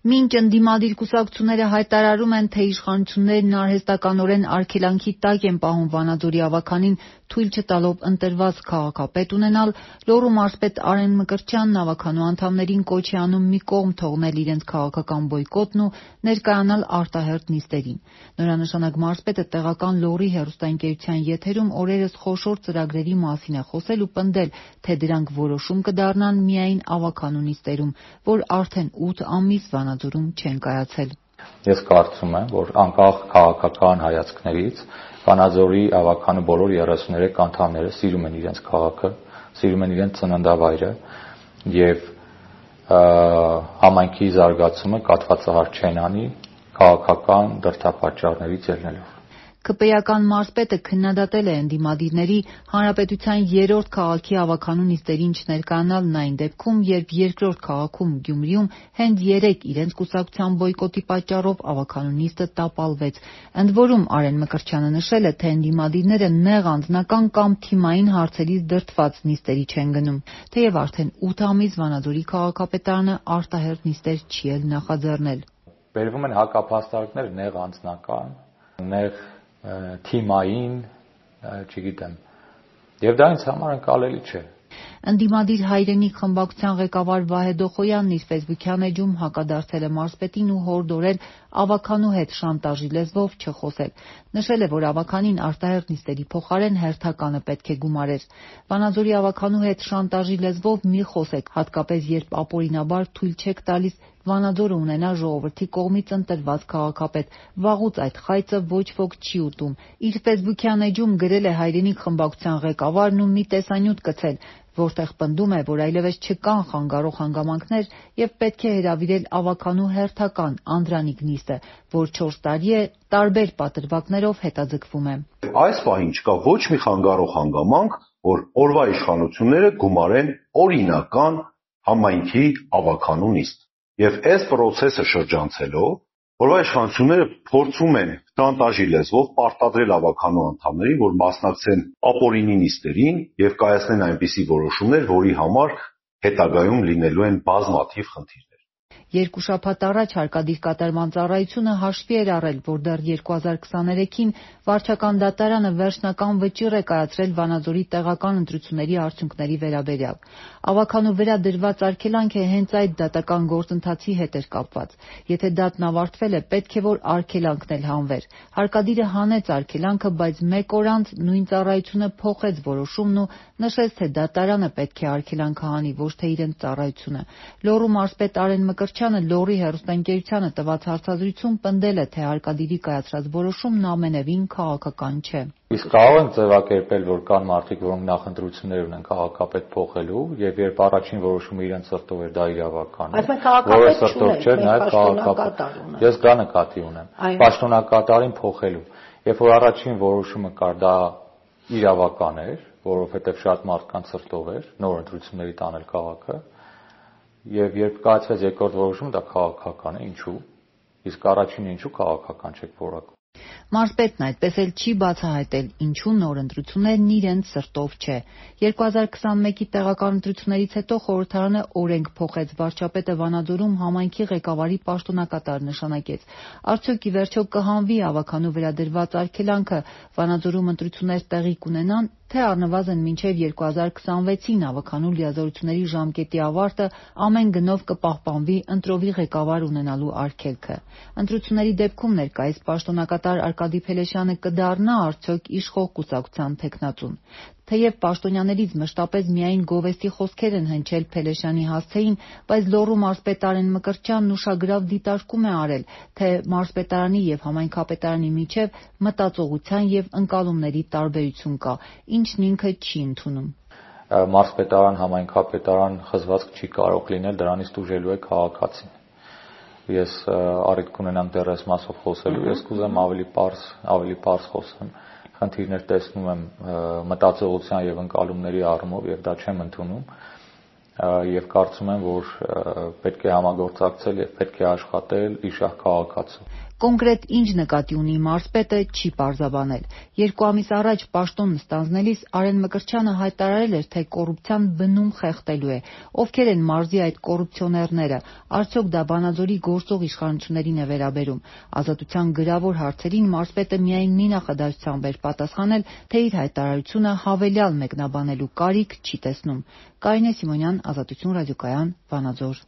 Մինչ ընդդիմադիր կուսակցությունները հայտարարում են, թե իշխանություններն արհեստականորեն արգելանքի տակ են պահում Վանաձորի ավականին թույլ չտալով ընտրված քաղաքապետ ունենալ, Լոռու մարզպետ Արեն Մկրտչյանն ավականու անդամներին կոչ է անում մի կողմ թողնել իրենց քաղաքական բոյկոտն ու ներկայանալ արտահերթ նիստերին։ Նորանշանակ մարզպետը տեղական Լոռի հեռուստաընկերության եթերում օրերս խոշոր ծրագրերի մասին է խոսել ու պնդել, թե դրանք որոշում կդառնան միայն ավականու նիստերում, որ արդեն 8 ամիս Վանաձորում չեն կայացել։ Ես կարծում եմ, որ անկախ քաղաքական հայացքներից Վանաձորի ավականու բոլոր 33 անդամները սիրում են իրենց քաղաքը, սիրում են իրենց ծննդավայրը եւ համայնքի զարգացումը կաթվածահար չեն անի քաղաքական դրդապատճառներից ելնելով։ ԿՊԵ-ական մարզպետը քննադատել է ընդդիմադիրների հանրապետության 3-րդ քաղաքի ավականու նիստերին չներկայանալն այն դեպքում, երբ երկրորդ քաղաքում Գյումրիում հենց 3 իրենց կուսակցության բոյկոտի պատճառով ավականու նիստը տապալվեց։ Ընդ որում Արեն Մկրտչյանը նշել է, թե ընդդիմադիրները նեղ անձնական կամ թիմային հարցերից դրդված նիստերի չեն գնում, թեև արդեն 8 ամիս Վանաձորի քաղաքապետարանը արտահերթ նիստեր չի էլ նախաձեռնել։ Բերվում են հակափաստարկներ նեղ անձնական, նեղ թիմային, չգիտեմ, եւ դա ինձ համար ընկալելի չէ։ Ընդդիմադիր հայրենիք խմբակցության ղեկավար Վահե Դոխոյանն իր ֆեյսբուքյան էջում հակադարձել է մարզպետին ու հորդորել ավականու հետ շանտաժի լեզվով չխոսել։ Նշել է, որ ավականին արտահերթ նիստերի փոխարեն հերթականը պետք է գումարեր։ Վանաձորի ավականու հետ շանտաժի լեզվով մի խոսեք, հատկապես երբ ապօրինաբար թույլ չեք տալիս Վանաձորը ունենա ժողովրդի կողմից ընտրված քաղաքապետ։ Վաղուց այդ խայծը ոչ ոք չի ուտում։ Իր ֆեյսբուքյան էջում գրել է հայրենիք խմբակցության ղեկավարն ու մի տեսանյութ գցել, որտեղ պնդում է, որ այլևս չկան խանգարող հանգամանքներ եւ պետք է հրավիրել ավականու հերթական Անդրանիկ նիստը, որ 4 տարի է տարբեր պատրվակներով հետաձգվում է։ Այս պահին չկա ոչ մի խանգարող հանգամանք, որ օրվա իշխանությունները գումարեն օրինական համայնքի ավականու նիստ։ Եվ այս process-ը շրջանցելով, որովհետեւ իշխանությունները փորձում են շանտաժի լեզվով պարտադրել ավականու անդամներին, որ մասնակցեն ապօրինի նիստերին եւ կայացնեն այնպիսի որոշումներ, որի համար հետագայում լինելու են բազմաթիվ խնդիրներ։ Երկու շաբաթ առաջ հարկադիր կատարման ծառայությունը հաշվի էր առել, որ դեռ 2023-ին վարչական դատարանը վերջնական վճիռ է կայացրել Վանաձորի տեղական ընտրությունների արդյունքների վերաբերյալ։ Ավականու վրա դրված արգելանք է հենց այդ դատական գործընթացի հետ էր կապված։ Եթե դատն ավարտվել է, պետք է որ արգելանքն էլ հանվեր։ Հարկադիրը հանեց արգելանքը, բայց մեկ օր անց նույն ծառայությունը փոխեց որոշումն ու նշեց, թե դատարանը պետք է արգելանքը հանի, ոչ թե իրենց ծառայությունը։ Լոռու մարզպետ Արեն Մկրտչյանը Լոռի հեռուստաընկերությանը տված հարցազրույցում պնդել է, թե հարկադիրի կայացրած որոշումն ամենևին քաղաքական չէ։ Իսկ կարող ենք ձևակերպել, որ կան մարդիկ, որոնք նախընտրություններ ունեն քաղաքապետ փոխելու, եւ երբ առաջին որոշումը իրենց սրտով էր, դա իրավական է։ Որը սրտով չէր, նաեւ քաղաքապետ։ Ես դա նկատի ունեմ։ Պաշտոնակատարին փոխելու։ Երբ որ առաջին որոշումը կար, դա իրավական էր, որովհետեւ շատ մարդկանց սրտով էր նոր ընտրությունների տանել քաղաքը, եւ երբ կայացվեց երկրորդ որոշումը, դա քաղաքական է, ինչու՞։ Իսկ առաջինը ինչու քաղաքական չէ որակում։ Մարզպետն այդպես էլ չի բացահայտել, ինչու նոր ընտրություններն իրենց սրտով չէ։ 2021-ի տեղական ընտրություններից հետո խորհրդարանը օրենք փոխեց, վարչապետը Վանաձորում համայնքի ղեկավարի պաշտոնակատար նշանակեց։ Արդյոք ի վերջո կհանվի ավականու վրա դրված արգելանքը, Վանաձորում ընտրություններ տեղի կունենան, թե առնվազն մինչև 2026-ին ավականու լիազորությունների ժամկետի ավարտը ամեն գնով կպահպանվի ընտրովի ղեկավար ունենալու արգելքը։ Ընտրությունների դեպքում ներկայիս պաշտոնակատար Արկադի Փելեշյանը կդառնա արդյոք իշխող կուսակցության թեկնածուն։ Թեև պաշտոնյաներից մշտապես միայն գովեստի խոսքեր են հնչել Փելեշյանի հասցեին, բայց Լոռու մարզպետ Արեն Մկրտչյանն ուշագրավ դիտարկում է արել, թե մարզպետարանի եւ համայնքապետարանի միջև մտածողության եւ ընկալումների տարբերություն կա, ինչն ինքը չի ընդունում։ Մարզպետարան, համայնքապետարան խզվածք չի կարող լինել, դրանից տուժելու է քաղաքացին։ Ես առիթ կունենամ դեռ այս մասով խոսելու, ես կուզեմ ավելի պարզ խոսեմ։ Խնդիրներ տեսնում եմ մտածողության եւ ընկալումների առումով եւ դա չեմ ընդունում եւ կարծում եմ, որ պետք է համագործակցել եւ պետք է աշխատել իշահ քաղաքացու։ Կոնկրետ ինչ նկատի ունի մարզպետը չի պարզաբանել։ 2 ամիս առաջ պաշտոնն ստանձնելիս Արեն Մկրտչյանը հայտարարել էր, թե կոռուպցիան բնում խեղդելու է։ Ովքեր են մարզի այդ կոռուպցիոներները, արդյոք դա Վանաձորի գործող իշխանություններին է վերաբերում։ Ազատության գրավոր հարցերին մարզպետը միայն մի նախադասությամբ էր պատասխանել, թե իր հայտարարությունը հավելյալ մեկնաբանելու կարիք չի տեսնում։ Կարինե Սիմոնյան, Ազատություն ռադիոկայան, Վանաձոր։